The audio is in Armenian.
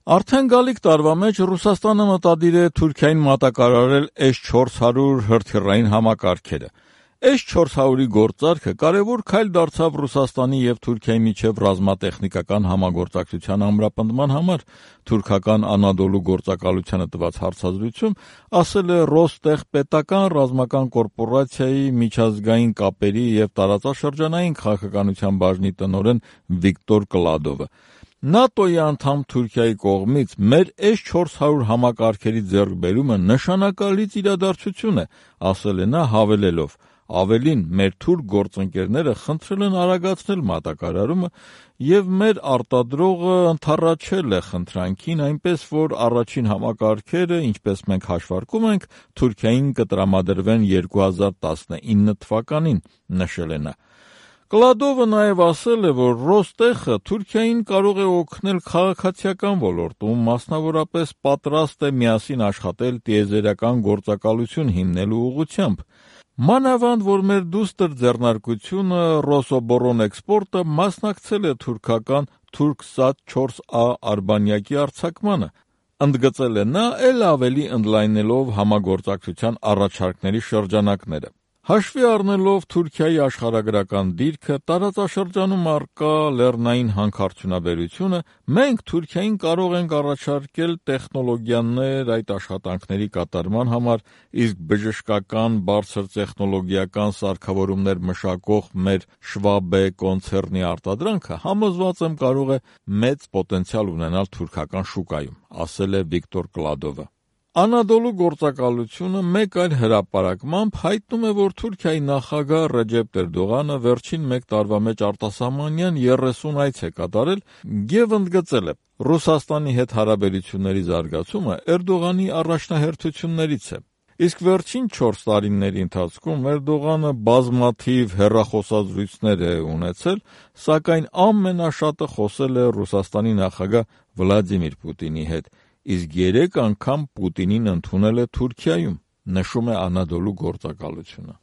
Արդեն գալիք տարվա մեջ Ռուսաստանը մտադիր է Թուրքիային մատակարարել S-400 հրթիռային համակարգերը։ S-400-ի գործարքը կարևոր քայլ դարձավ Ռուսաստանի և Թուրքիայի միջև ռազմատեխնիկական համագործակցության ամրապնդման համար։ Թուրքական Անադոլու գործակալությանը տված հարցազրույցում ասել է Ռոստեխ պետական ռազմական կորպորացիայի միջազգային կապերի և տարածաշրջանային քաղաքականության բաժնի տնօրեն Վիկտոր Կլադովը։ ՆԱՏՕ-ի անդամ Թուրքիայի կողմից մեր S-400 համակարգերի ձեռքբերումը նշանակալից իրադարձություն է, ասել է նա, հավելելով. Ավելին, մեր թուրք գործընկերները խնդրել են արագացնել մատակարարումը և մեր արտադրողը ընդառաջել է խնդրանքին, այնպես որ առաջին համակարգերը, ինչպես մենք հաշվարկում ենք, Թուրքիային կտրամադրվեն 2019 թվականին, նշել է նա։ Կլադովը նաև ասել է, որ Ռոստեխը Թուրքիային կարող է օգնել քաղաքացիական ոլորտում, մասնավորապես պատրաստ է միասին աշխատել տիեզերական գործակալություն հիմնելու ուղղությամբ։ Մանավանդ, որ մեր դուստր ձեռնարկությունը Ռոսոբոռոնէքսպորտը մասնակցել է թուրքական Թուրքսատ-4A արբանյակի արձակմանը, ընդգծել է նա, էլ ավելի ընդլայնելով համագործակցության առաջարկների շրջանակները։ Հաշվի առնելով Թուրքիայի աշխարհագրական դիրքը, տարածաշրջանում առկա լեռնային հանքարդյունաբերությունը, մենք Թուրքիային կարող ենք առաջարկել տեխնոլոգիաներ այդ աշխատանքների կատարման համար, իսկ բժշկական բարձր տեխնոլոգիական սարքավորումներ մշակող մեր Schwabe կոնցեռնի արտադրանքը, համոզված եմ, կարող է մեծ պոտենցիալ ունենալ թուրքական շուկայում, ասել է Վիկտոր Կլադովը։ Անադոլու գործակալությունը մեկ այլ հրապարակմամբ հայտնում է, որ Թուրքիայի նախագահ Ռեջեփ Էրդողանը վերջին մեկ տարվա մեջ արտասահմանյան 30 այց է կատարել և ընդգծել է. Ռուսաստանի հետ հարաբերությունների զարգացումը Էրդողանի առաջնահերթություններից է։ Իսկ վերջին 4 տարիների ընթացքում Էրդողանը բազմաթիվ հեռախոսազրույցներ է ունեցել, սակայն ամենաշատը խոսել է Ռուսաստանի նախագահ Վլադիմիր Պուտինի հետ, իսկ 3 անգամ Պուտինին ընդունել է Թուրքիայում, նշում է Անադոլու գործակալությունը։